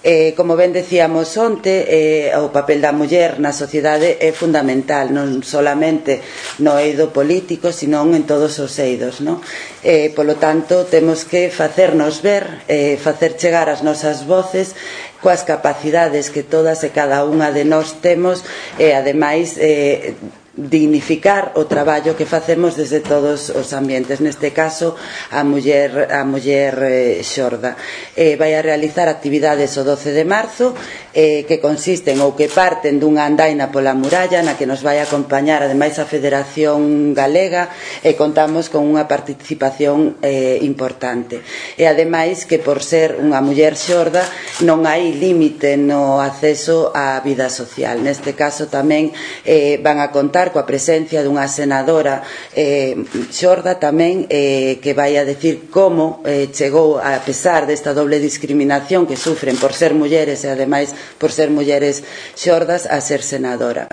Como ben decíamos onte, o papel da muller na sociedade é fundamental, non solamente no eido político, senón en todos os eidos, non? Polo tanto, temos que facernos ver, facer chegar as nosas voces coas capacidades que todas e cada unha de nós temos e, ademais, dignificar o traballo que facemos desde todos os ambientes, neste caso a muller xorda. Vai a realizar actividades o 12 de marzo que consisten ou que parten dunha andaina pola muralla na que nos vai acompañar ademais a Federación Galega e contamos con unha participación importante. E ademais que por ser unha muller xorda non hai límite no acceso á vida social. Neste caso tamén van a contar coa presencia dunha senadora xorda tamén que vai a decir como chegou, a pesar desta doble discriminación que sufren por ser mulleres e ademais por ser mulleres xordas, a ser senadora.